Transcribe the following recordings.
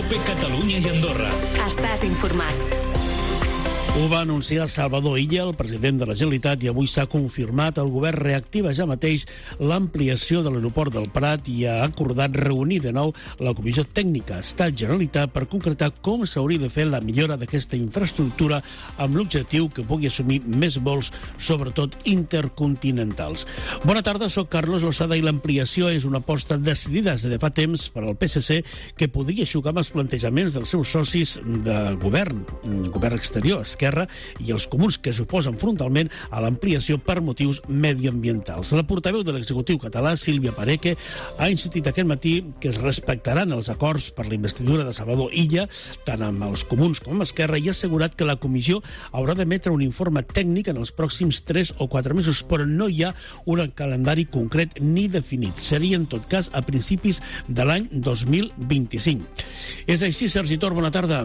COPE Catalunya i Andorra. Estàs informat. Ho va anunciar Salvador Illa, el president de la Generalitat, i avui s'ha confirmat. El govern reactiva ja mateix l'ampliació de l'aeroport del Prat i ha acordat reunir de nou la Comissió Tècnica Estat-Generalitat per concretar com s'hauria de fer la millora d'aquesta infraestructura amb l'objectiu que pugui assumir més vols, sobretot intercontinentals. Bona tarda, soc Carlos Lozada i l'ampliació és una aposta decidida des de fa temps per al PSC que podria xocar amb els plantejaments dels seus socis de govern exterior, Esquerra, i els comuns que s'oposen frontalment a l'ampliació per motius mediambientals. La portaveu de l'executiu català, Sílvia Paneque, ha insistit aquest matí que es respectaran els acords per la investidura de Salvador Illa, tant amb els comuns com amb Esquerra, i ha assegurat que la comissió haurà d'emetre un informe tècnic en els pròxims 3 o 4 mesos, però no hi ha un calendari concret ni definit. Seria, en tot cas, a principis de l'any 2025. És així, Sergi Tor, bona tarda.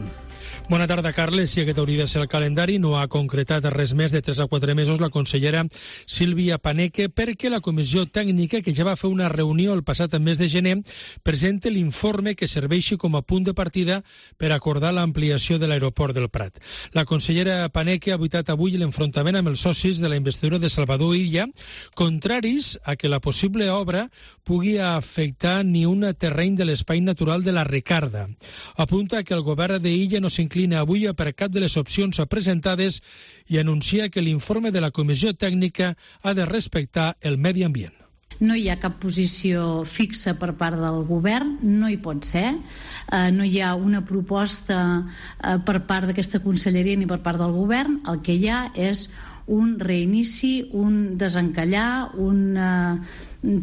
Bona tarda, Carles. Si aquest hauria de ser el calendari, no ha concretat res més de 3 a 4 mesos la consellera Sílvia Paneque, perquè la comissió tècnica, que ja va fer una reunió el passat mes de gener, presenta l'informe que serveixi com a punt de partida per acordar l'ampliació de l'aeroport del Prat. La consellera Paneque ha evitat avui l'enfrontament amb els socis de la investidura de Salvador Illa, contraris a que la possible obra pugui afectar ni un terreny de l'espai natural de la Ricarda. Apunta que el govern d'Illa no s'inclina avui per cap de les opcions presentades i anuncia que l'informe de la comissió tècnica ha de respectar el medi ambient. No hi ha cap posició fixa per part del govern, no hi pot ser. No hi ha una proposta per part d'aquesta conselleria ni per part del govern. El que hi ha és un reinici, un desencallar,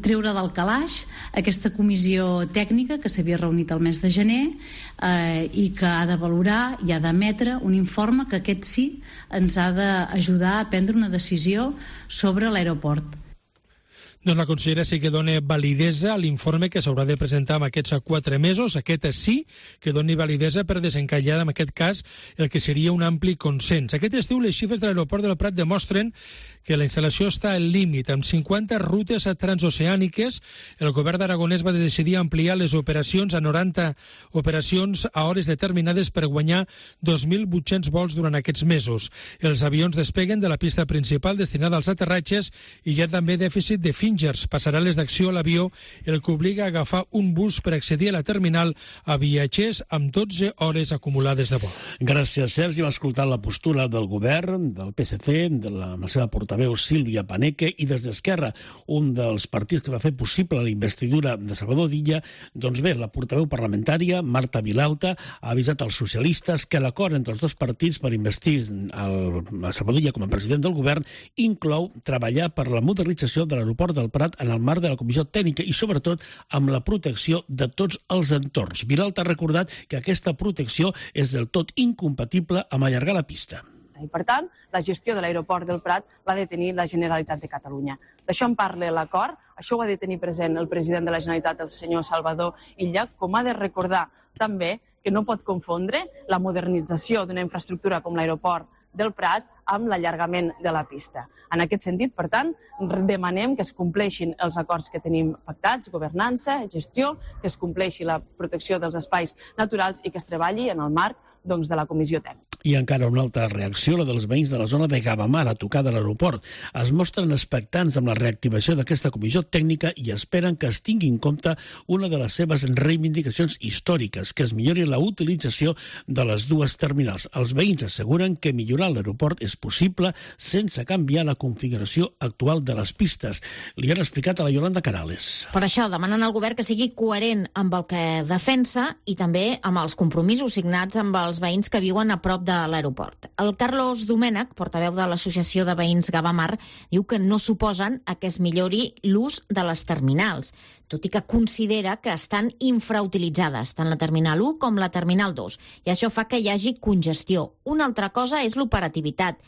treure del calaix aquesta comissió tècnica que s'havia reunit el mes de gener i que ha de valorar i ha d'emetre un informe que aquest sí ens ha d'ajudar a prendre una decisió sobre l'aeroport. Doncs la consellera sí que dona validesa a l'informe que s'haurà de presentar en aquests 4 mesos. Aquest sí que doni validesa per desencallar, en aquest cas, el que seria un ampli consens. Aquest estiu les xifres de l'aeroport del Prat demostren que la instal·lació està al límit. Amb 50 rutes transoceàniques, el govern d'Aragonès va decidir ampliar les operacions a 90 operacions a hores determinades per guanyar 2.800 vols durant aquests mesos. Els avions despeguen de la pista principal destinada als aterratges i hi ha també dèficit de passarà-les d'acció a l'avió, el que obliga a agafar un bus per accedir a la terminal a viatgers amb 12 hores acumulades de vol. Gràcies, Sergi. Hem escoltat la postura del govern, del PSC, de la seva portaveu Sílvia Paneque, i des d'Esquerra, un dels partits que va fer possible la investidura de Salvador Illa. Doncs bé, la portaveu parlamentària, Marta Vilalta, ha avisat als socialistes que l'acord entre els dos partits per investir a Salvador Illa com a president del govern inclou treballar per la modernització de l'aeroport del Prat en el marc de la comissió tècnica i, sobretot, amb la protecció de tots els entorns. Vilalta ha recordat que aquesta protecció és del tot incompatible amb allargar la pista. I, per tant, la gestió de l'aeroport del Prat l'ha de tenir la Generalitat de Catalunya. D'això en parla l'acord, això ho ha de tenir present el president de la Generalitat, el senyor Salvador Illa, com ha de recordar també que no pot confondre la modernització d'una infraestructura com l'aeroport del Prat amb l'allargament de la pista. En aquest sentit, per tant, demanem que es compleixin els acords que tenim pactats, governança, gestió, que es compleixi la protecció dels espais naturals i que es treballi en el marc de la comissió tècnica. I encara una altra reacció, la dels veïns de la zona de Gavamar, a tocar de l'aeroport. Es mostren expectants amb la reactivació d'aquesta comissió tècnica i esperen que es tingui en compte una de les seves reivindicacions històriques, que es millori la utilització de les dues terminals. Els veïns asseguren que millorar l'aeroport és possible sense canviar la configuració actual de les pistes. Li han explicat a la Yolanda Canales. Per això demanen al govern que sigui coherent amb el que defensa i també amb els compromisos signats amb els veïns que viuen a prop de l'aeroport. El Carlos Domènech, portaveu de l'Associació de Veïns Gavamar, diu que no suposen a que es millori l'ús de les terminals, tot i que considera que estan infrautilitzades, tant la terminal 1 com la terminal 2, i això fa que hi hagi congestió. Una altra cosa és l'operativitat.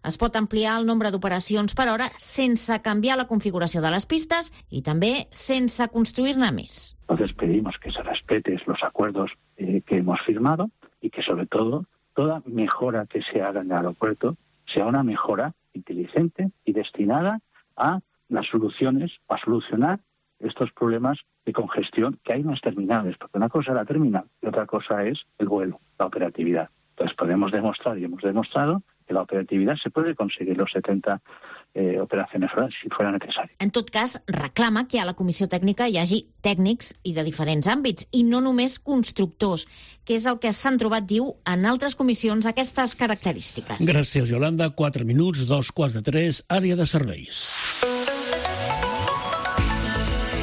Es pot ampliar el nombre d'operacions per hora sense canviar la configuració de les pistes i també sense construir-ne més. Entonces pedimos que se respeten los acuerdos que hemos firmado y que sobre todo toda mejora que se haga en el aeropuerto sea una mejora inteligente y destinada a las soluciones, a solucionar estos problemas de congestión que hay en las terminales, porque una cosa es la terminal y otra cosa es el vuelo, la operatividad. Entonces podemos demostrar y hemos demostrado que la operatividad se puede conseguir los 70 operacions horàries si fuera necessari. En tot cas, reclama que a la comissió tècnica hi hagi tècnics i de diferents àmbits, i no només constructors, que és el que s'han trobat, diu, en altres comissions aquestes característiques. Gràcies, Yolanda. 4 minuts, 2:03, àrea de serveis.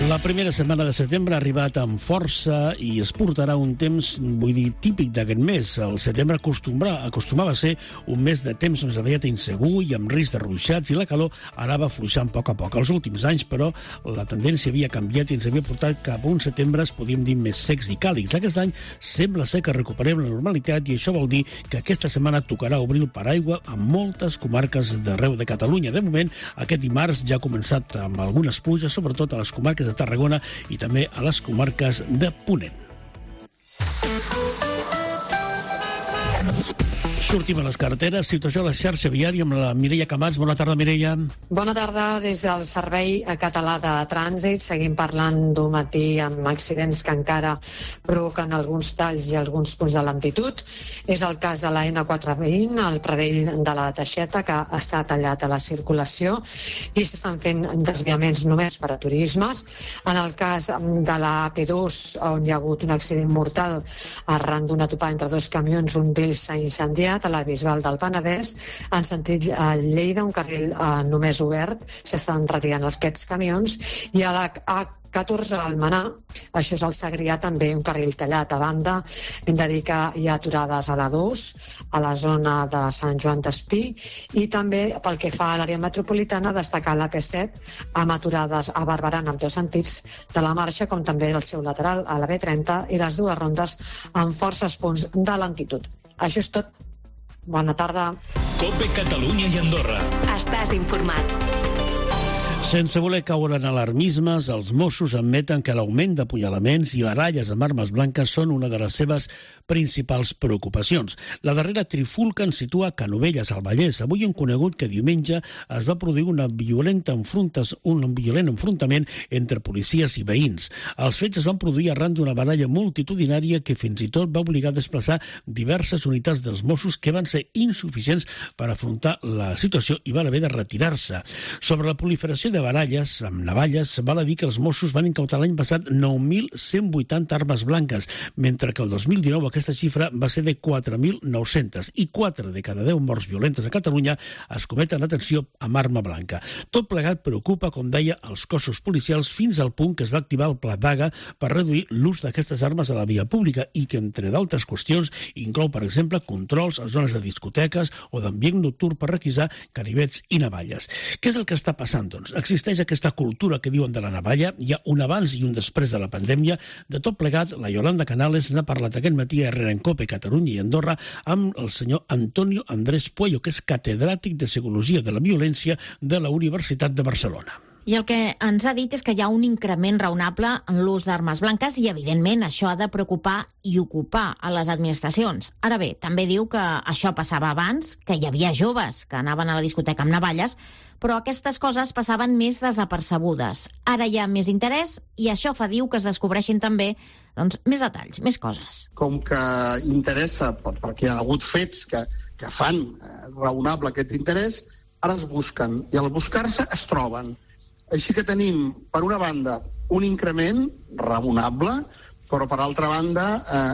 La primera setmana de setembre ha arribat amb força i es portarà un temps, vull dir, típic d'aquest mes. El setembre acostumava a ser un mes de temps més aviat insegur i amb risc de ruixats, i la calor anava afluixant a poc a poc. Els últims anys, però, la tendència havia canviat i ens havia portat cap a uns setembre, podríem dir, més secs i càlids. Aquest any sembla ser que recuperem la normalitat i això vol dir que aquesta setmana tocarà obrir el paraigua a moltes comarques d'arreu de Catalunya. De moment, aquest dimarts ja ha començat amb algunes pluges, sobretot a les comarques de Tarragona i també a les comarques de Ponent. Sortim a les carreteres, situació a la xarxa viària amb la Mireia Camats. Bona tarda, Mireia. Bona tarda. Des del Servei Català de Trànsit seguim parlant d'un matí amb accidents que encara provoquen alguns talls i alguns punts de lentitud. És el cas de la N420, al Pradell de la Teixeta, que està tallat a la circulació i s'estan fent desviaments només per a turismes. En el cas de la AP2, on hi ha hagut un accident mortal arran d'una topada entre dos camions, un d'ells s'ha incendiat a la Bisbal del Penedès, en sentit Lleida, un carril només obert, s'estan retirant aquests camions, i a la A14 al Almenar, això és el Segrià, també un carril tallat. A banda, hem de dir que hi ha aturades a la 2, a la zona de Sant Joan d'Espí, i també pel que fa a l'àrea metropolitana, destacar la P7 amb aturades a Barberà en ambdós sentits de la marxa, com també el seu lateral a la B30 i les dues rondes amb forces punts de lentitud. Això és tot. Bona tarda. COPE Catalunya i Andorra. Estàs informat. Sense voler caure en alarmismes, els Mossos admeten que l'augment d'apunyalaments i baralles amb armes blanques són una de les seves principals preocupacions. La darrera trifulca ens situa a Canovelles, al Vallès. Avui hem conegut que diumenge es va produir un violent enfrontament entre policies i veïns. Els fets es van produir arran d'una baralla multitudinària que fins i tot va obligar a desplaçar diverses unitats dels Mossos que van ser insuficients per afrontar la situació i van haver de retirar-se. Sobre la proliferació de baralles amb navalles, val a dir que els Mossos van incautar l'any passat 9.180 armes blanques, mentre que el 2019 aquesta xifra va ser de 4.900 i 4 de cada 10 morts violentes a Catalunya es cometen, atenció, amb arma blanca. Tot plegat preocupa, com deia, els cossos policials fins al punt que es va activar el Pla Vaga per reduir l'ús d'aquestes armes a la via pública i que, entre d'altres qüestions, inclou, per exemple, controls a zones de discoteques o d'ambient nocturn per requisar ganivets i navalles. Què és el que està passant, doncs? Existeix aquesta cultura que diuen de la navalla, hi ha un abans i un després de la pandèmia. De tot plegat, la Yolanda Canales n'ha parlat aquest matí a RN COPE Catalunya i Andorra amb el senyor Antonio Andrés Puello, que és catedràtic de Psicologia de la Violència de la Universitat de Barcelona. I el que ens ha dit és que hi ha un increment raonable en l'ús d'armes blanques i, evidentment, això ha de preocupar i ocupar a les administracions. Ara bé, també diu que això passava abans, que hi havia joves que anaven a la discoteca amb navalles, però aquestes coses passaven més desapercebudes. Ara hi ha més interès i això fa, diu, que es descobreixin també més detalls, més coses. Com que interessa, perquè hi ha hagut fets que fan raonable aquest interès, ara es busquen, i al buscar-se es troben. Així que tenim, per una banda, un increment raonable, però per altra banda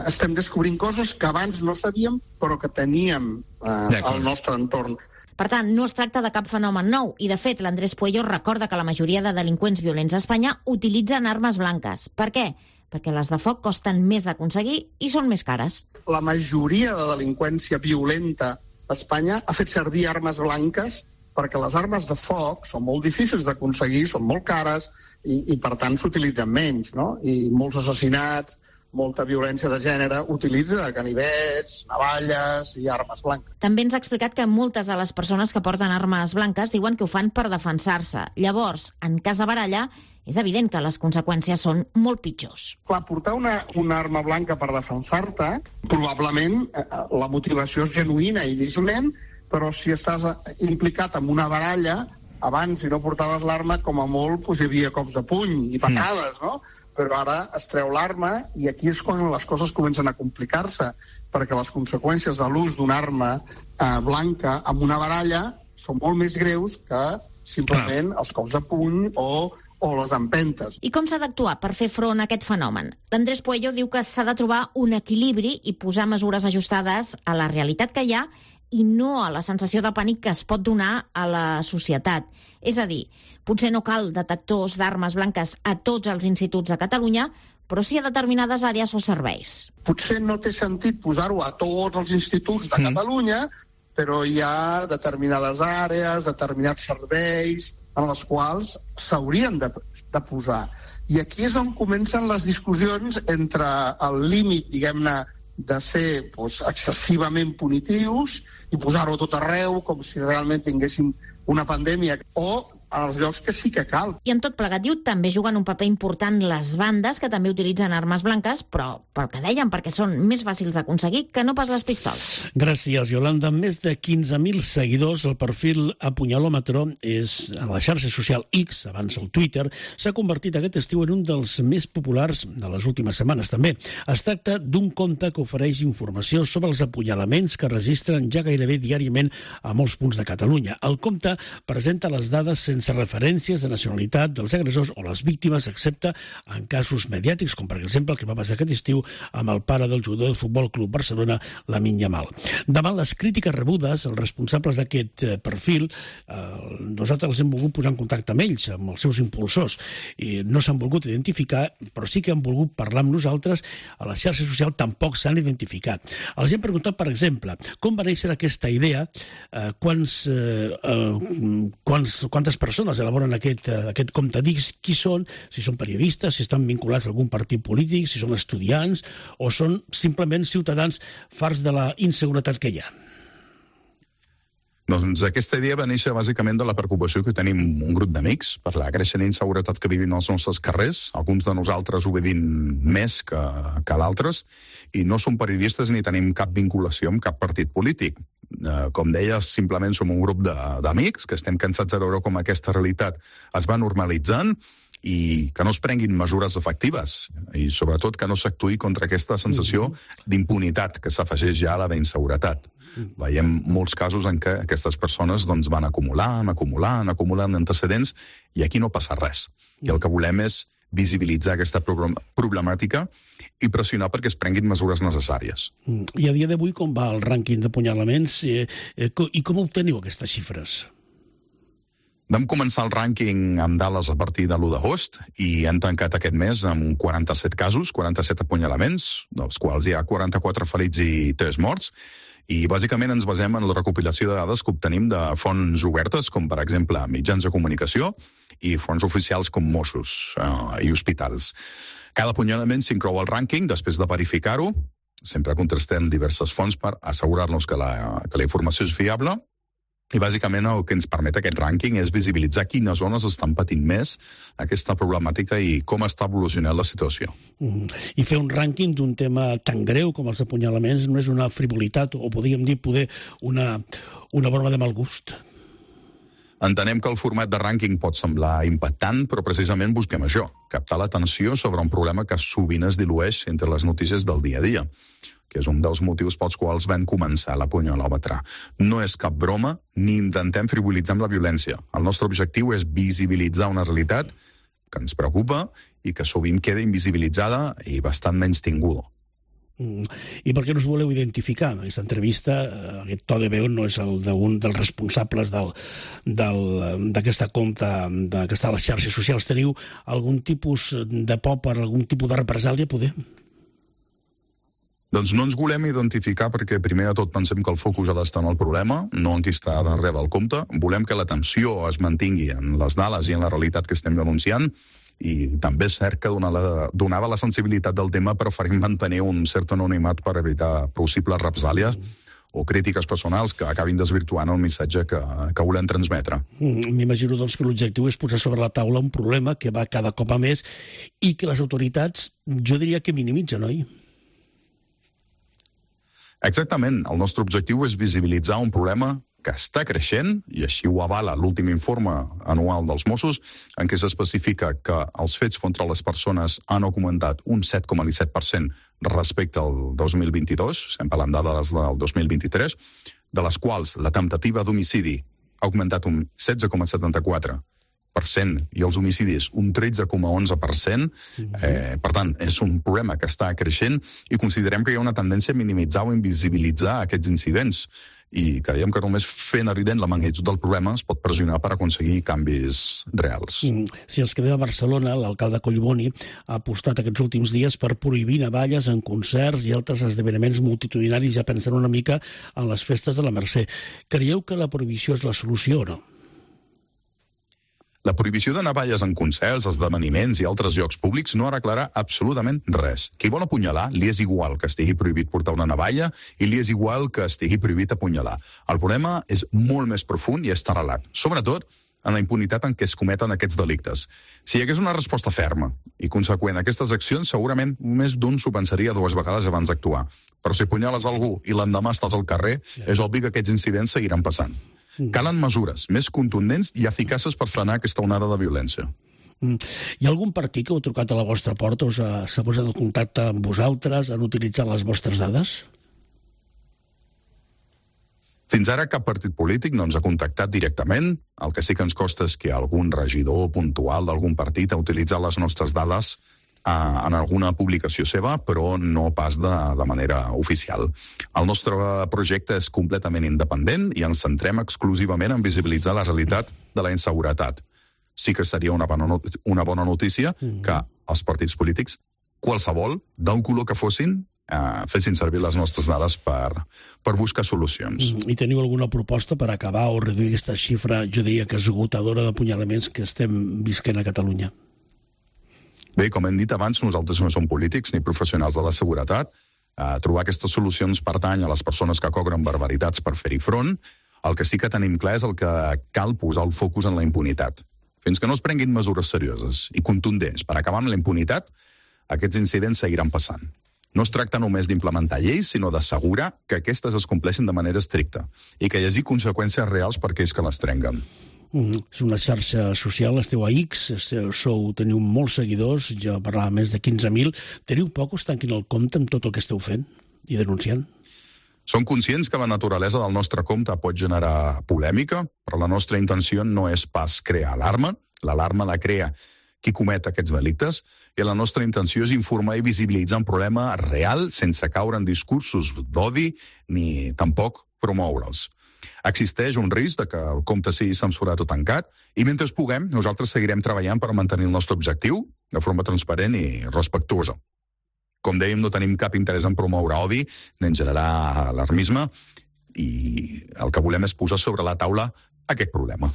estem descobrint coses que abans no sabíem, però que teníem al nostre entorn. Per tant, no es tracta de cap fenomen nou i, de fet, l'Andrés Puello recorda que la majoria de delinqüents violents a Espanya utilitzen armes blanques. Per què? Perquè les de foc costen més d'aconseguir i són més cares. La majoria de delinqüència violenta a Espanya ha fet servir armes blanques perquè les armes de foc són molt difícils d'aconseguir, són molt cares i per tant s'utilitzen menys, no? I molts assassinats, molta violència de gènere, utilitza ganivets, navalles i armes blanques. També ens ha explicat que moltes de les persones que porten armes blanques diuen que ho fan per defensar-se. Llavors, en cas de baralla, és evident que les conseqüències són molt pitjors. Clar, portar una arma blanca per defensar-te, probablement la motivació és genuïna i dissolent, però si estàs implicat en una baralla, abans, si no portaves l'arma, com a molt hi havia cops de puny i patades, no? Però ara es treu l'arma i aquí és quan les coses comencen a complicar-se, perquè les conseqüències de l'ús d'una arma blanca amb una baralla són molt més greus que simplement els cops de puny o les empentes. I com s'ha d'actuar per fer front a aquest fenomen? L'Andrés Puello diu que s'ha de trobar un equilibri i posar mesures ajustades a la realitat que hi ha i no a la sensació de pànic que es pot donar a la societat. És a dir, potser no cal detectors d'armes blanques a tots els instituts de Catalunya, però sí a determinades àrees o serveis. Potser no té sentit posar-ho a tots els instituts de Catalunya, però hi ha determinades àrees, determinats serveis en les quals s'haurien de posar. I aquí és on comencen les discussions entre el límit, diguem-ne, de ser excessivament punitius i posar-ho a tot arreu com si realment tinguéssim una pandèmia, o als llocs que sí que cal. I en tot plegat, diu, també juguen un paper important les bandes, que també utilitzen armes blanques, però pel que dèiem, perquè són més fàcils d'aconseguir que no pas les pistoles. Gràcies, Yolanda. Amb més de 15.000 seguidors, el perfil Apunyalòmetre és a la xarxa social X, abans el Twitter, s'ha convertit aquest estiu en un dels més populars de les últimes setmanes, també. Es tracta d'un compte que ofereix informació sobre els apunyalaments que registren ja gairebé diàriament a molts punts de Catalunya. El compte presenta les dades sense referències de nacionalitat dels agressors o les víctimes, excepte en casos mediàtics, com per exemple el que va passar aquest estiu amb el pare del jugador del Futbol Club Barcelona, Lamine Yamal. Davant les crítiques rebudes, els responsables d'aquest perfil, nosaltres els hem volgut posar en contacte amb ells, amb els seus impulsors. No s'han volgut identificar, però sí que han volgut parlar amb nosaltres. A la xarxa social tampoc s'han identificat. Els hem preguntat, per exemple, com va néixer aquesta idea, quantes persones elaboren aquest compte d'X, qui són, si són periodistes, si estan vinculats a algun partit polític, si són estudiants o són simplement ciutadans farts de la inseguretat que hi ha. Doncs aquesta idea va néixer bàsicament de la preocupació que tenim un grup d'amics per la creixent inseguretat que vivim als nostres carrers, alguns de nosaltres ho vivim més que l'altres, i no som periodistes ni tenim cap vinculació amb cap partit polític. Com deia, simplement som un grup d'amics que estem cansats de veure com aquesta realitat es va normalitzant i que no es prenguin mesures efectives i sobretot que no s'actuï contra aquesta sensació d'impunitat que s'afegeix ja a la d'inseguretat. Veiem molts casos en què aquestes persones van acumulant antecedents i aquí no passa res. I el que volem és visibilitzar aquesta problemàtica i pressionar perquè es prenguin mesures necessàries. I a dia d'avui com va el rànquing d'apunyalaments i com obteniu aquestes xifres? Vam començar el rànquing amb dades a partir de l'1 d'agost i hem tancat aquest mes amb 47 casos, 47 apunyalaments, dels quals hi ha 44 ferits i 3 morts, i bàsicament ens basem en la recopilació de dades que obtenim de fonts obertes, com per exemple mitjans de comunicació i fonts oficials com Mossos i hospitals. Cada apunyalament s'inclou al rànquing després de verificar-ho. Sempre contrastem diverses fonts per assegurar-nos que la informació és fiable. I bàsicament el que ens permet aquest rànquing és visibilitzar quines zones estan patint més aquesta problemàtica i com està evolucionant la situació. I fer un rànquing d'un tema tan greu com els apunyalaments no és una frivolitat o podríem dir poder una broma de mal gust. Entenem que el format de rànquing pot semblar impactant, però precisament busquem això, captar l'atenció sobre un problema que sovint es dilueix entre les notícies del dia a dia, que és un dels motius pels quals vam començar l'Apunyalòmetre. No és cap broma, ni intentem frivolitzar amb la violència. El nostre objectiu és visibilitzar una realitat que ens preocupa i que sovint queda invisibilitzada i bastant menys tinguda. I per què no us voleu identificar? En aquesta entrevista, aquest to de veu no és el d'un dels responsables d'aquesta compta, que està a les xarxes socials. Teniu algun tipus de por per algun tipus de represàlia, poder? Doncs no ens volem identificar perquè primer de tot pensem que el focus ha d'estar en el problema, no en qui està darrere del compte. Volem que l'atenció es mantingui en les dades i en la realitat que estem denunciant, i també és cert que donada la sensibilitat del tema preferim mantenir un cert anonimat per evitar possibles represàlies o crítiques personals que acabin desvirtuant el missatge que volem transmetre. M'imagino doncs que l'objectiu és posar sobre la taula un problema que va cada cop a més i que les autoritats, jo diria que minimitzen, oi? Exactament. El nostre objectiu és visibilitzar un problema que està creixent, i així ho avala l'últim informe anual dels Mossos, en què s'especifica que els fets contra les persones han augmentat un 7,17% respecte al 2022, estem parlant dades del 2023, de les quals la temptativa d'homicidi ha augmentat un 16,74%, i els homicidis un 13,11%. Per tant, és un problema que està creixent i considerem que hi ha una tendència a minimitzar o invisibilitzar aquests incidents i creiem que només fent evident la magnitud del problema es pot pressionar per aconseguir canvis reals. Si ens quedem a Barcelona, l'alcalde Collboni ha apostat aquests últims dies per prohibir navalles en concerts i altres esdeveniments multitudinaris, ja pensant una mica en les festes de la Mercè. Creieu que la prohibició és la solució o no? La prohibició de navalles en concerts, esdeveniments i altres llocs públics no arreglarà absolutament res. Qui vol apunyalar, li és igual que estigui prohibit portar una navalla i li és igual que estigui prohibit apunyalar. El problema és molt més profund i està arrelat, sobretot en la impunitat en què es cometen aquests delictes. Si hi hagués una resposta ferma i conseqüent a aquestes accions, segurament més d'un s'ho pensaria 2 vegades abans d'actuar. Però si apunyales algú i l'endemà estàs al carrer, és obvi que aquests incidents seguiran passant. Calen mesures més contundents i eficaces per frenar aquesta onada de violència. Hi ha algun partit que heu trucat a la vostra porta o s'ha posat en contacte amb vosaltres, han utilitzat les vostres dades? Fins ara cap partit polític no ens ha contactat directament. El que sí que ens costa és que algun regidor puntual d'algun partit ha utilitzat les nostres dades en alguna publicació seva, però no pas de manera oficial. El nostre projecte és completament independent i ens centrem exclusivament en visibilitzar la realitat de la inseguretat. Sí que seria una bona notícia que els partits polítics, qualsevol, d'un color que fossin, fessin servir les nostres dades per buscar solucions. I teniu alguna proposta per acabar o reduir aquesta xifra, jo diria que esgotadora d'apunyalaments que estem visquent a Catalunya? Bé, com hem dit abans, nosaltres no som polítics ni professionals de la seguretat. Trobar aquestes solucions pertany a les persones que cobren barbaritats per fer-hi front. El que sí que tenim clar és el que cal posar el focus en la impunitat. Fins que no es prenguin mesures serioses i contundents per acabar amb la impunitat, aquests incidents seguiran passant. No es tracta només d'implementar lleis, sinó d'assegurar que aquestes es compleixin de manera estricta i que hi hagi conseqüències reals per aquells que les trenguen. És una xarxa social, esteu a X, teniu molts seguidors, jo parlava més de 15.000. Teniu por que us tanquin el compte amb tot el que esteu fent i denunciant? Som conscients que la naturalesa del nostre compte pot generar polèmica, però la nostra intenció no és pas crear alarma. L'alarma la crea qui comet aquests delictes, i la nostra intenció és informar i visibilitzar un problema real sense caure en discursos d'odi ni tampoc promoure'ls. Existeix un risc de que el compte sigui censurat o tancat i mentre puguem, nosaltres seguirem treballant per mantenir el nostre objectiu de forma transparent i respectuosa. Com dèiem, no tenim cap interès en promoure odi ni en generar alarmisme i el que volem és posar sobre la taula aquest problema.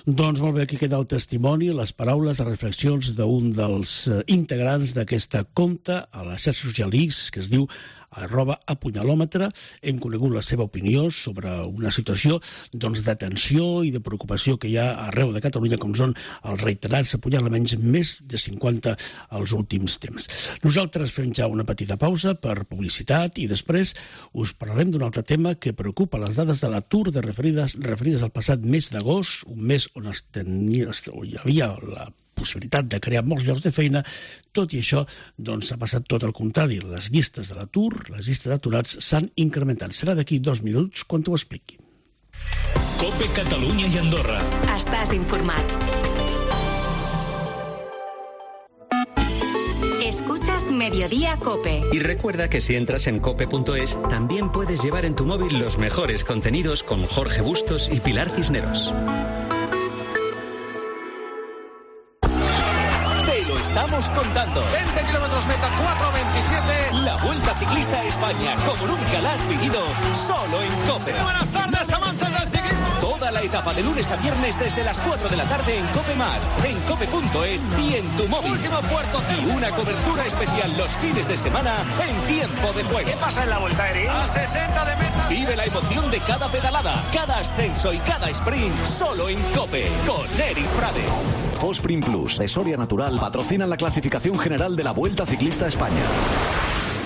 Doncs molt bé, aquí queda el testimoni, les paraules, les reflexions d'un dels integrants d'aquesta compte a la xarxa social X, que es diu @apunyalòmetre. Hem conegut la seva opinió sobre una situació de tensió i de preocupació que hi ha arreu de Catalunya, com són els reiterats apunyalaments, més de 50 als últims temps. Nosaltres fem ja una petita pausa per publicitat i després us parlarem d'un altre tema que preocupa, les dades de l'atur referides al passat mes d'agost, un mes on hi havia la possibilitat de crear molts llocs de feina. Tot i això, ha passat tot el contrari. Les llistes de l'atur, les llistes d'aturats s'han incrementat. Serà d'aquí 2 minuts quan t'ho expliqui. COPE Catalunya i Andorra. Estàs informat. Escuchas Mediodía COPE. Y recuerda que si entras en cope.es, también puedes llevar en tu móvil los mejores contenidos con Jorge Bustos y Pilar Cisneros. Estamos contando. 20 kilómetros meta, 4:27. La Vuelta Ciclista a España, como nunca la has vivido, solo en COPE. Muy buenas tardes, amantes del ciclismo. Toda la etapa de lunes a viernes desde las 4 de la tarde en COPE+, en cope.es y en tu móvil. Último puerto. Y una cobertura especial los fines de semana en tiempo de juego. ¿Qué pasa en la Vuelta, Eric? A 60 de meta. Vive la emoción de cada pedalada, cada ascenso y cada sprint, solo en COPE, con Eric Frade. Fosprin Plus, de Soria Natural, patrocinan la clasificación general de la Vuelta Ciclista a España.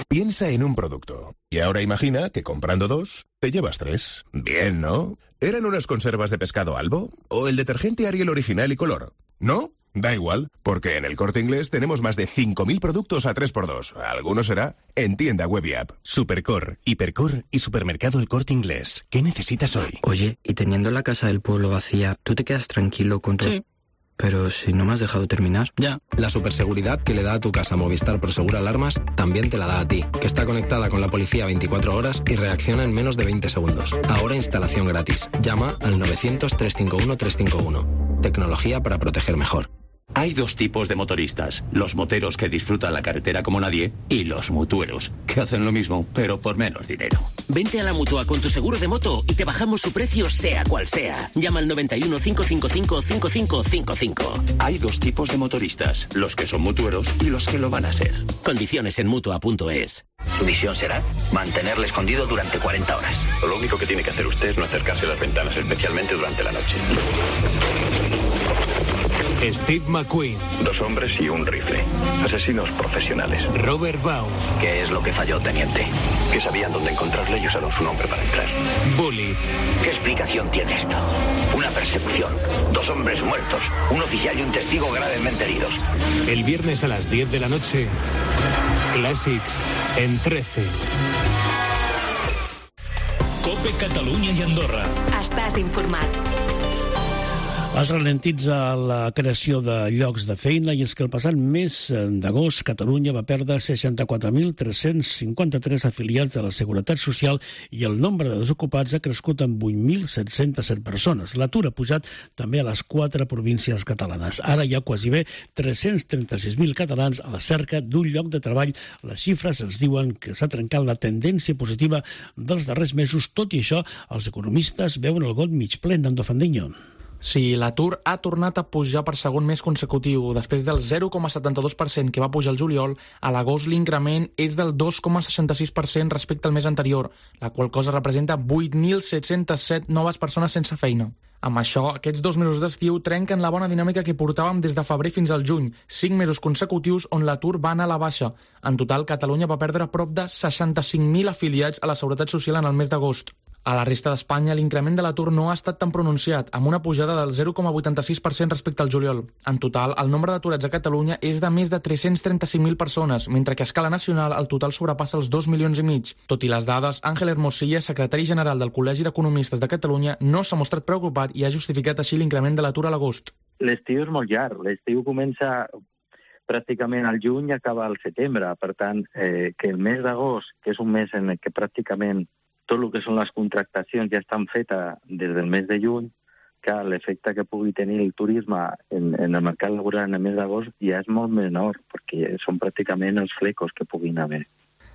Piensa en un producto. Y ahora imagina que comprando 2, te llevas 3. Bien, ¿no? ¿Eran unas conservas de pescado Albo? ¿O el detergente Ariel original y color? ¿No? Da igual, porque en El Corte Inglés tenemos más de 5.000 productos a 3x2. Alguno será en tienda web y app. Supercor, Hipercor y Supermercado El Corte Inglés. ¿Qué necesitas hoy? Oye, y teniendo la casa del pueblo vacía, ¿tú te quedas tranquilo con tu...? Sí. Pero si no me has dejado terminar. Ya. La superseguridad que le da a tu casa Movistar Prosegur Alarmas también te la da a ti, que está conectada con la policía 24 horas y reacciona en menos de 20 segundos. Ahora instalación gratis. Llama al 900-351-351. Tecnología para proteger mejor. Hay dos tipos de motoristas, los moteros que disfrutan la carretera como nadie y los mutueros, que hacen lo mismo, pero por menos dinero. Vente a la Mutua con tu seguro de moto y te bajamos su precio sea cual sea. Llama al 91 555 5555. Hay dos tipos de motoristas, los que son mutueros y los que lo van a ser. Condiciones en Mutua.es. Su misión será mantenerle escondido durante 40 horas. Lo único que tiene que hacer usted es no acercarse a las ventanas, especialmente durante la noche. Steve McQueen. 2 hombres y un rifle. Asesinos profesionales. Robert Baum. ¿Qué es lo que falló, teniente? Que sabían dónde encontrarle y usaron su nombre para entrar. Bullet. ¿Qué explicación tiene esto? Una persecución. 2 hombres muertos. Un oficial y un testigo gravemente heridos. El viernes a las 10 de la noche. Clàssics en 13. COPE Catalunya i Andorra. Estàs informat. Es ralentitza la creació de llocs de feina i és que el passat mes d'agost Catalunya va perdre 64.353 afiliats a la Seguretat Social i el nombre de desocupats ha crescut en 8.707 persones. L'atur ha pujat també a les 4 províncies catalanes. Ara hi ha quasi bé 336.000 catalans a la cerca d'un lloc de treball. Les xifres ens diuen que s'ha trencat la tendència positiva dels darrers mesos. Tot i això, els economistes veuen el got mig ple, Nando Fandiño. Sí, l'atur ha tornat a pujar per segon mes consecutiu. Després del 0,72% que va pujar el juliol, a l'agost l'increment és del 2,66% respecte al mes anterior, la qual cosa representa 8.707 noves persones sense feina. Amb això, aquests 2 mesos d'estiu trenquen la bona dinàmica que portàvem des de febrer fins al juny, 5 mesos consecutius on l'atur va anar a la baixa. En total, Catalunya va perdre prop de 65.000 afiliats a la Seguretat Social en el mes d'agost. A la resta d'Espanya, l'increment de l'atur no ha estat tan pronunciat, amb una pujada del 0,86% respecte al juliol. En total, el nombre d'aturats a Catalunya és de més de 335.000 persones, mentre que a escala nacional el total sobrepassa els 2,5 milions. Tot i les dades, Àngel Hermosilla, secretari general del Col·legi d'Economistes de Catalunya, no s'ha mostrat preocupat i ha justificat així l'increment de l'atur a l'agost. L'estiu és molt llarg. L'estiu comença pràcticament al juny i acaba al setembre. Per tant, que el mes d'agost, que és un mes en què pràcticament tot el que són les contractacions ja estan fetes des del mes de juny, que l'efecte que pugui tenir el turisme en el mercat laboral en el mes d'agost ja és molt menor, perquè són pràcticament els flecos que puguin haver.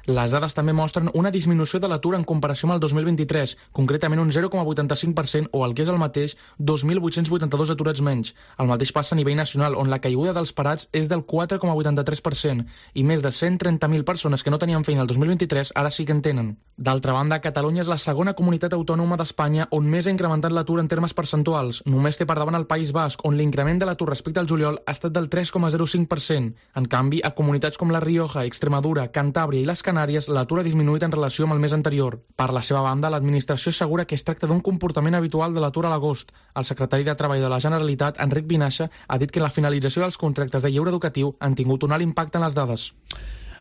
Les dades també mostren una disminució de l'atur en comparació amb el 2023, concretament un 0,85% o el que és el mateix, 2.882 aturats menys. El mateix passa a nivell nacional, on la caiguda dels parats és del 4,83% i més de 130.000 persones que no tenien feina el 2023 ara sí que en tenen. D'altra banda, Catalunya és la segona comunitat autònoma d'Espanya on més ha incrementat l'atur en termes percentuals. Només té per davant el País Basc, on l'increment de l'atur respecte al juliol ha estat del 3,05%. En canvi, a comunitats com la Rioja, Extremadura, Cantàbria i les Canàries, l'atur ha disminuït en relació amb el mes anterior. Per la seva banda, l'administració assegura que es tracta d'un comportament habitual de l'atur a l'agost. El secretari de Treball de la Generalitat, Enric Vinaixa, ha dit que la finalització dels contractes de lleure educatiu han tingut un alt impacte en les dades.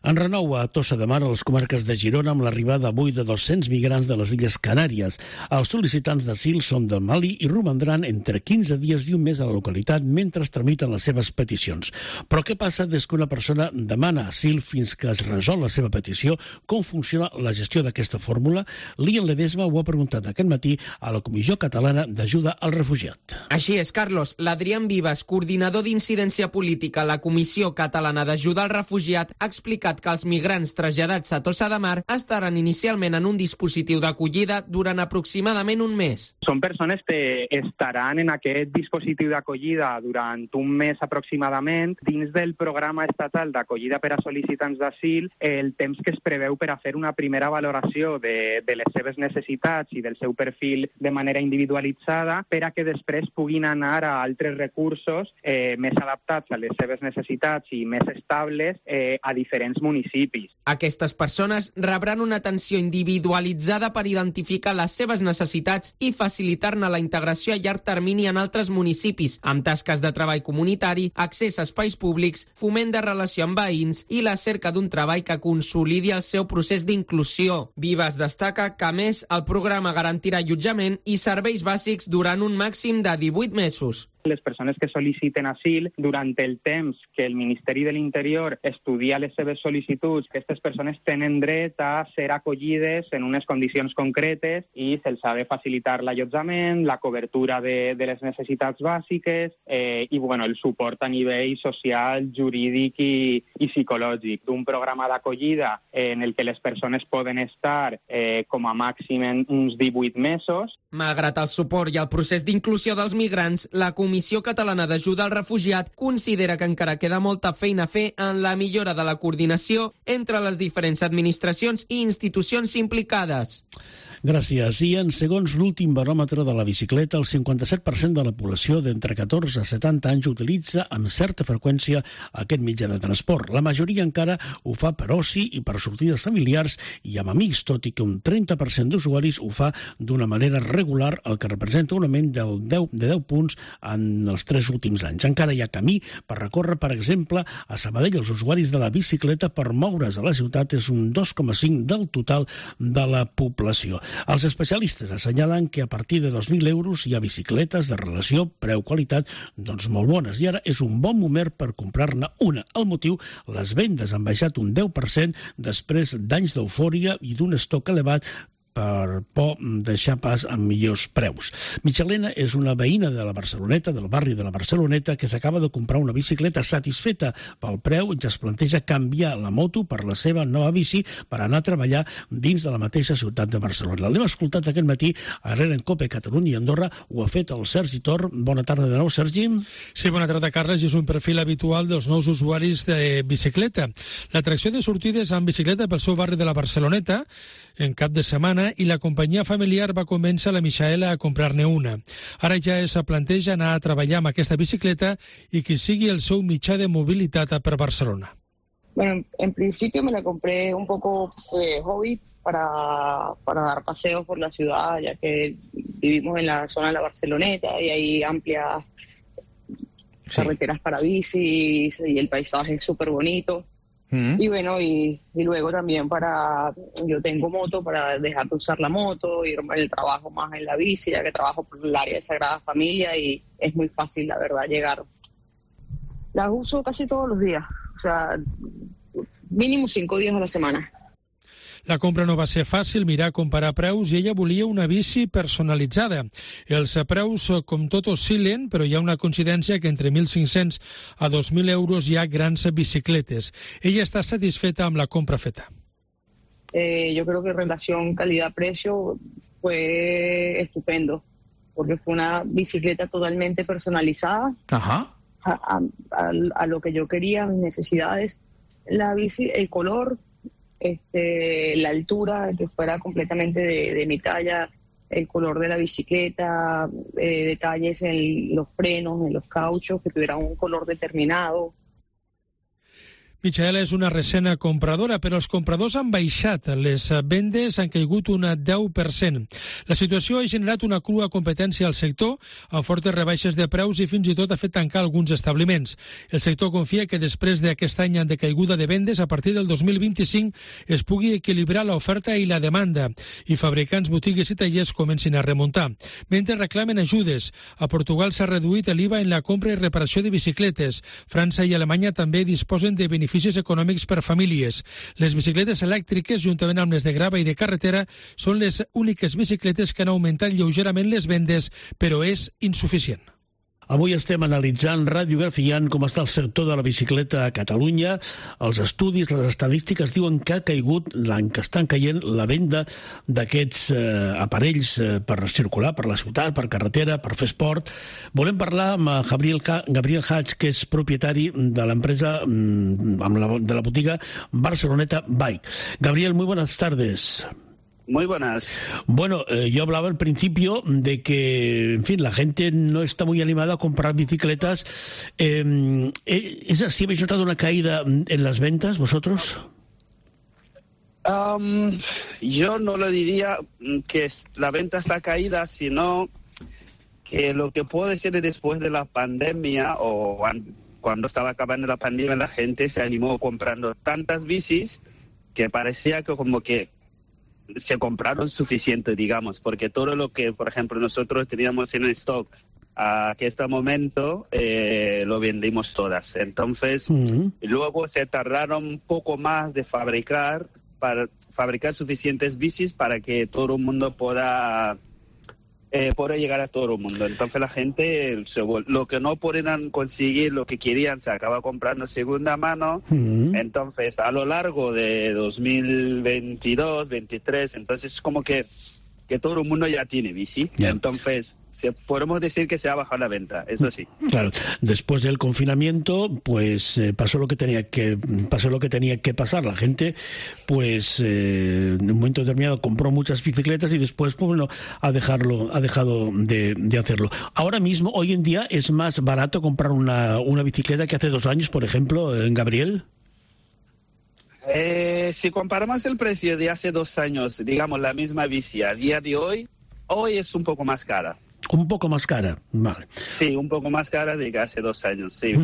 En renou a Tossa de Mar, a les comarques de Girona, amb l'arribada avui de 200 migrants de les Illes Canàries. Els sol·licitants d'asil són del Mali i romandran entre 15 dies i un mes a la localitat mentre es tramiten les seves peticions. Però què passa des que una persona demana asil fins que es resol la seva petició? Com funciona la gestió d'aquesta fórmula? Lian Ledesma ho ha preguntat aquest matí a la Comissió Catalana d'Ajuda al Refugiat. Així és, Carlos. L'Adrián Vives, coordinador d'incidència política a la Comissió Catalana d'Ajuda al Refugiat, ha explicat que els migrants traslladats a Tossa de Mar estaran inicialment en un dispositiu d'acollida durant aproximadament un mes. Són persones que estaran en aquest dispositiu d'acollida durant un mes aproximadament dins del programa estatal d'acollida per a sol·licitants d'asil, el temps que es preveu per a fer una primera valoració de les seves necessitats i del seu perfil de manera individualitzada per a que després puguin anar a altres recursos més adaptats a les seves necessitats i més estables a diferents diferents municipis. Aquestes persones rebran una atenció individualitzada per identificar les seves necessitats i facilitar-ne la integració a llarg termini en altres municipis, amb tasques de treball comunitari, accés a espais públics, foment de relació amb veïns i la cerca d'un treball que consolidi el seu procés d'inclusió. Vives destaca que, a més, el programa garantirà allotjament i serveis bàsics durant un màxim de 18 mesos. Les persones que sol·liciten asil, durant el temps que el Ministeri de l'Interior estudia les seves sol·licituds, aquestes persones tenen dret a ser acollides en unes condicions concretes i se'ls ha de facilitar l'allotjament, la cobertura de les necessitats bàsiques i el suport a nivell social, jurídic i psicològic. D'un programa d'acollida en el que les persones poden estar com a màxim en uns 18 mesos. Malgrat el suport i el procés d'inclusió dels migrants, la Comissió Catalana d'Ajuda al Refugiat considera que encara queda molta feina a fer en la millora de la coordinació entre les diferents administracions i institucions implicades. Gràcies. I en segons l'últim baròmetre de la bicicleta, el 57% de la població d'entre 14 a 70 anys utilitza amb certa freqüència aquest mitjà de transport. La majoria encara ho fa per oci i per sortides familiars i amb amics, tot i que un 30% d'usuaris ho fa d'una manera regular, el que representa un augment de 10 punts en els 3 últims anys. Encara hi ha camí per recórrer, per exemple, a Sabadell. Els usuaris de la bicicleta per moure's a la ciutat és un 2,5 del total de la població. Els especialistes assenyalen que a partir de 2.000 euros hi ha bicicletes de relació preu-qualitat molt bones i ara és un bon moment per comprar-ne una. El motiu, les vendes han baixat un 10% després d'anys d'eufòria i d'un estoc elevat per por deixar pas amb millors preus. Michelena és una veïna de la Barceloneta, del barri de la Barceloneta, que s'acaba de comprar una bicicleta satisfeta pel preu i ja es planteja canviar la moto per la seva nova bici per anar a treballar dins de la mateixa ciutat de Barcelona. L'hem escoltat aquest matí a RN COPE, Catalunya i Andorra. Ho ha fet el Sergi Tor. Bona tarda de nou, Sergi. Sí, bona tarda, Carles. És un perfil habitual dels nous usuaris de bicicleta. L'atracció de sortides amb bicicleta pel seu barri de la Barceloneta en cap de setmana i la companyia familiar va convèncer la Michaela a comprar-ne una. Ara ja es planteja anar a treballar amb aquesta bicicleta i que sigui el seu mitjà de mobilitat per Barcelona. Bueno, en principio me la compré un poco de hobby para dar paseos por la ciudad, ya que vivimos en la zona de la Barceloneta y hay amplias carreteras para bicis y el paisaje es súper bonito. Y bueno, y luego también yo tengo moto para dejar de usar la moto, irme al trabajo más en la bici, ya que trabajo por el área de Sagrada Familia y es muy fácil, la verdad, llegar. Las uso casi todos los días, o sea, mínimo 5 días a la semana. La compra no va ser fàcil, mirar, comparar preus, i ella volia una bici personalitzada. Els preus, com tot, oscil·len, però hi ha una coincidència que entre 1.500 a 2.000 euros hi ha grans bicicletes. Ella està satisfeta amb la compra feta. Yo creo que en relación calidad-precio fue estupendo, porque fue una bicicleta totalmente personalizada. Ajá. A lo que yo quería, mis necesidades. La bici, el color, la altura, que fuera completamente de mi talla, el color de la bicicleta, detalles en los frenos, en los cauchos, que tuvieran un color determinado. Michaela és una recent compradora, però els compradors han baixat. Les vendes han caigut un 10%. La situació ha generat una crua competència al sector, amb fortes rebaixes de preus i fins i tot ha fet tancar alguns establiments. El sector confia que després d'aquest any de caiguda de vendes, a partir del 2025 es pugui equilibrar l'oferta i la demanda i fabricants, botigues i tallers comencin a remuntar. Mentre reclamen ajudes, a Portugal s'ha reduït l'IVA en la compra i reparació de bicicletes. França i Alemanya també disposen de beneficis econòmics per famílies. Les bicicletes elèctriques, juntament amb les de grava i de carretera, són les úniques bicicletes que han augmentat lleugerament les vendes, però és insuficient. Avui estem analitzant, radiografiant com està el sector de la bicicleta a Catalunya. Els estudis, les estadístiques diuen que ha caigut l'any que estan caient la venda d'aquests aparells per circular per la ciutat, per carretera, per fer esport. Volem parlar amb Gabriel Hatch, que és propietari de l'empresa, de la botiga Barceloneta Bike. Gabriel, muy buenas tardes. Muy buenas. Bueno, yo hablaba al principio de que, en fin, la gente no está muy animada a comprar bicicletas. ¿Es así? ¿Habéis notado una caída en las ventas vosotros? Yo no lo diría que la venta está caída, sino que lo que puedo decir es después de la pandemia o cuando estaba acabando la pandemia, la gente se animó comprando tantas bicis que parecía que como que se compraron suficiente, digamos, porque todo lo que, por ejemplo, nosotros teníamos en stock a este momento lo vendimos todas. Entonces, luego se tardaron un poco más de fabricar suficientes bicis para que todo el mundo pueda llegar a todo el mundo. Entonces la gente, lo que no podían conseguir, lo que querían, se acaba comprando segunda mano. Entonces, a lo largo de 2022, 2023, entonces como que todo el mundo ya tiene bici. Entonces, podemos decir que se ha bajado la venta, eso sí. Claro, después del confinamiento, pues pasó lo que tenía que pasar. La gente, pues en un momento determinado compró muchas bicicletas y después, pues bueno, ha dejado de hacerlo. Ahora mismo, hoy en día, es más barato comprar una bicicleta que hace 2 años, por ejemplo, Gabriel. Si comparamos el precio de hace 2 años, digamos la misma bici a día de hoy es un poco más cara. Un poco más cara, vale. Sí, un poco más cara de que hace 2 años, sí.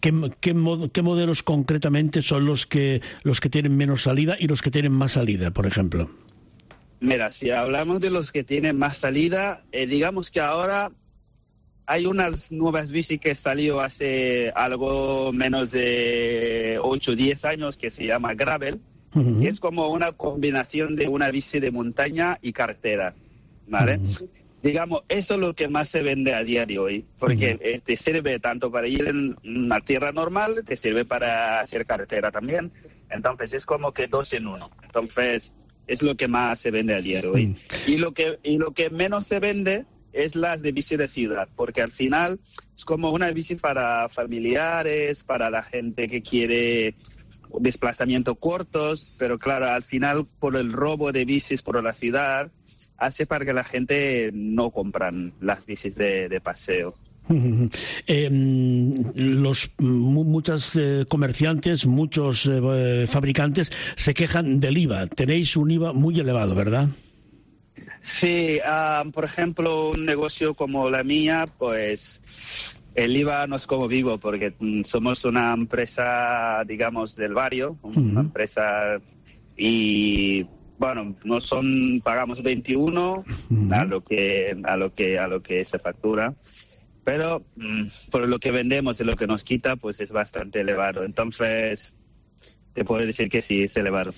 ¿Qué modelos concretamente son los que tienen menos salida y los que tienen más salida, por ejemplo? Mira, si hablamos de los que tienen más salida, digamos que ahora hay unas nuevas bici que salió hace algo menos de 8 o 10 años que se llama Gravel, que es como una combinación de una bici de montaña y carretera, ¿vale? Digamos, eso es lo que más se vende a día de hoy, porque te sirve tanto para ir en una tierra normal, te sirve para hacer carretera también, entonces es como que 2 en 1. Entonces es lo que más se vende a día de hoy. Y lo que menos se vende es las de bici de ciudad, porque al final es como una bici para familiares, para la gente que quiere desplazamientos cortos, pero claro, al final por el robo de bicis por la ciudad hace para que la gente no compran las bicis de paseo. Muchos comerciantes, muchos fabricantes se quejan del IVA. Tenéis un IVA muy elevado, ¿verdad? Sí, por ejemplo, un negocio como la mía, pues el IVA no es como vivo, porque somos una empresa, digamos, del barrio, una empresa, y bueno, pagamos 21 a lo que se factura, pero por lo que vendemos y lo que nos quita, pues es bastante elevado. Entonces, te puedo decir que sí, es elevado.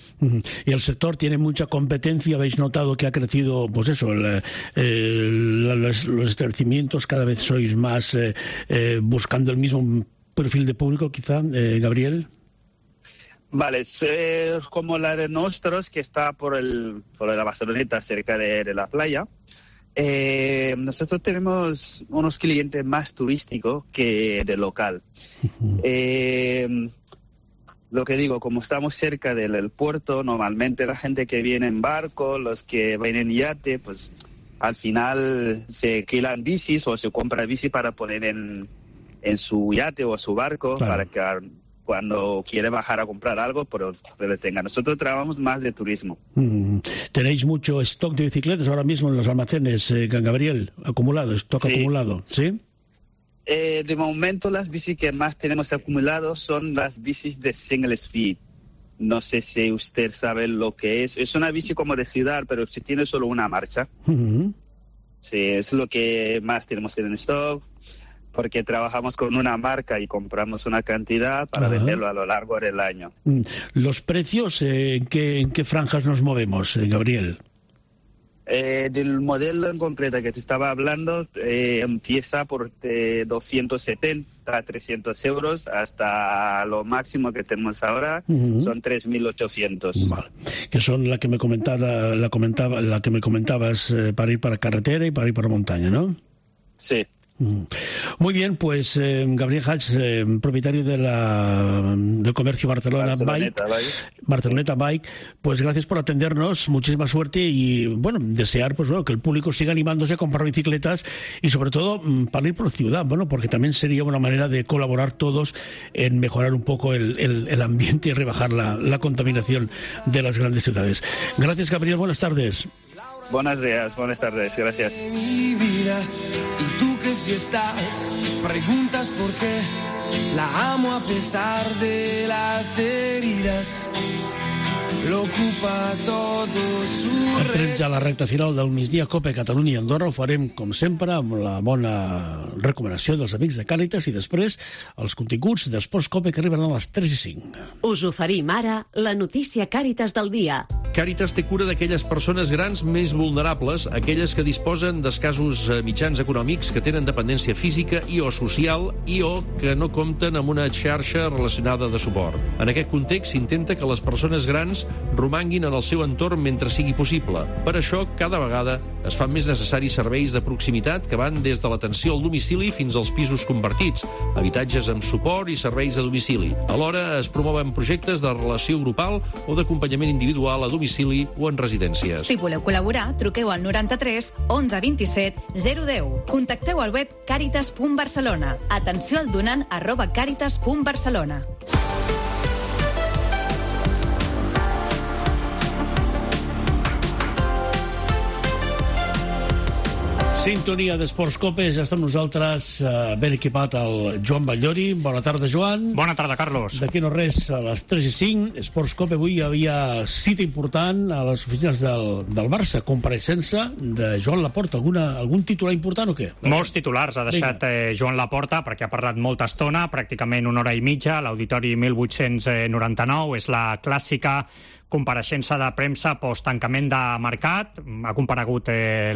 Y el sector tiene mucha competencia. ¿Habéis notado que ha crecido, pues eso, los establecimientos? Cada vez sois más buscando el mismo perfil de público, quizá, Gabriel. Vale, es como la de nosotros, que está por la Barceloneta, cerca de la playa. Nosotros tenemos unos clientes más turísticos que de local. Lo que digo, como estamos cerca del puerto, normalmente la gente que viene en barco, los que vienen en yate, pues al final se alquilan bicis o se compra bici para poner en su yate o su barco, claro, para que cuando quiere bajar a comprar algo, pero le tenga. Nosotros trabajamos más de turismo. ¿Tenéis mucho stock de bicicletas ahora mismo en los almacenes, Gabriel? Stock acumulado, ¿sí? De momento las bicis que más tenemos acumulados son las bicis de single speed. No sé si usted sabe lo que es. Es una bici como de ciudad, pero si tiene solo una marcha. Sí, es lo que más tenemos en stock, porque trabajamos con una marca y compramos una cantidad para venderlo a lo largo del año. ¿Los precios en qué franjas nos movemos, Gabriel? Del modelo en concreto que te estaba hablando, empieza por 270 a 300 euros hasta lo máximo que tenemos ahora, son 3.800. Vale. Que son la que me comentabas para ir para carretera y para ir para montaña, ¿no? Sí. Muy bien, pues Gabriel Hach, propietario del comercio Barceloneta Bike, pues gracias por atendernos, muchísima suerte y bueno, desear pues bueno, que el público siga animándose a comprar bicicletas y sobre todo para ir por ciudad, bueno, porque también sería una manera de colaborar todos en mejorar un poco el ambiente y rebajar la contaminación de las grandes ciudades. Gracias, Gabriel, buenas tardes. Buenos días, buenas tardes, gracias. Mi vida, y tú que si estás, preguntas por qué la amo a pesar de las heridas. L'ocupa tot su... Entrem ja a la recta final del migdia Cope Catalunya i Andorra. Ho farem, com sempre, amb la bona recomanació dels amics de Càritas i després els continguts d'Esports Cope que arriben a les 3:05. Us oferim ara la notícia Càritas del dia. Càritas té cura d'aquelles persones grans més vulnerables, aquelles que disposen d'escassos mitjans econòmics, que tenen dependència física i o social i o que no compten amb una xarxa relacionada de suport. En aquest context s'intenta que les persones grans romanguin en el seu entorn mentre sigui possible. Per això, cada vegada es fan més necessaris serveis de proximitat que van des de l'atenció al domicili fins als pisos convertits, habitatges amb suport i serveis a domicili. Alhora, es promouen projectes de relació grupal o d'acompanyament individual a domicili o en residències. Si voleu col·laborar, truqueu al 93 11 27 010. Contacteu al web caritas.barcelona. Atenció al donant @caritas.barcelona. Sintonia d'Esports Cope, ja està amb nosaltres ben equipat el Joan Batllori. Bona tarda, Joan. Bona tarda, Carlos. D'aquí no res, a les 3:05, Esports Cope. Avui hi havia cita important a les oficines del Barça, compareixença de Joan Laporta. Algun titular important o què? Molts titulars ha deixat Joan Laporta, perquè ha parlat molta estona, pràcticament una hora i mitja, a l'Auditori 1899. És la clàssica compareixença de premsa post-tancament de mercat. Ha comparegut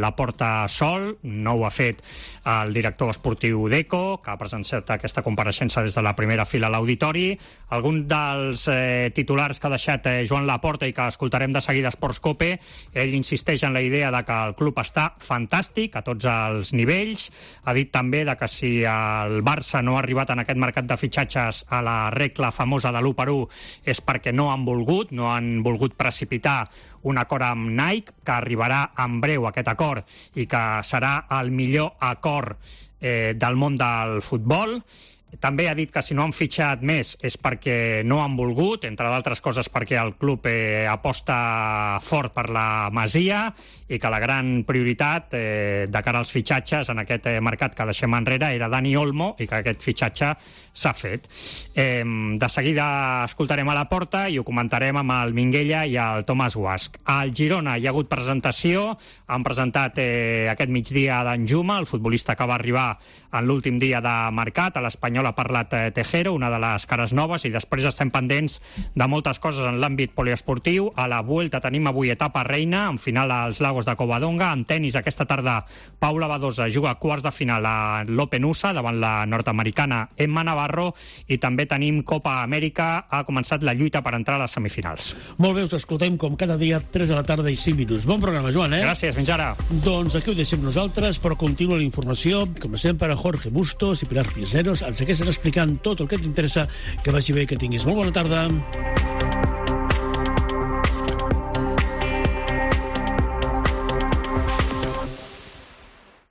Laporta sol, no ho ha fet el director esportiu d'ECO, que ha presenciat aquesta compareixença des de la primera fila a l'auditori. Algun dels titulars que ha deixat Joan Laporta i que escoltarem de seguida a Esports Cope, ell insisteix en la idea de que el club està fantàstic a tots els nivells. Ha dit també de que si el Barça no ha arribat en aquest mercat de fitxatges a la regla famosa de l'1-1 és perquè no han volgut precipitar un acord amb Nike, que arribarà en breu aquest acord i que serà el millor acord del món del futbol. També ha dit que si no han fitxat més és perquè no han volgut, entre d'altres coses perquè el club aposta fort per la Masia i que la gran prioritat de cara als fitxatges en aquest mercat que deixem enrere era Dani Olmo i que aquest fitxatge s'ha fet. De seguida escoltarem a Laporta i ho comentarem amb el Minguella i el Tomàs Guasch. Al Girona hi ha hagut presentació, han presentat aquest migdia d'en Juma, el futbolista que va arribar en l'últim dia de mercat. A l'Espanyol ha parlat Tejero, una de les cares noves, i després estem pendents de moltes coses en l'àmbit poliesportiu. A la Vuelta tenim avui etapa reina, en final als Lagos de Covadonga. En tenis aquesta tarda Paula Badosa juga quarts de final a l'Open USA davant la nord-americana Emma Navarro, i també tenim Copa Amèrica. Ha començat la lluita per entrar a les semifinals. Molt bé, us escoltem com cada dia, 3 de la tarda i 5 minuts. Bon programa, Joan, Gràcies, fins ara. Doncs aquí ho deixem nosaltres, però continua la informació, com sempre, Jorge Bustos i Pilar Cisneros ens segueixen explicant tot el que t'interessa. Que vagi bé, que tinguis molt bona tarda.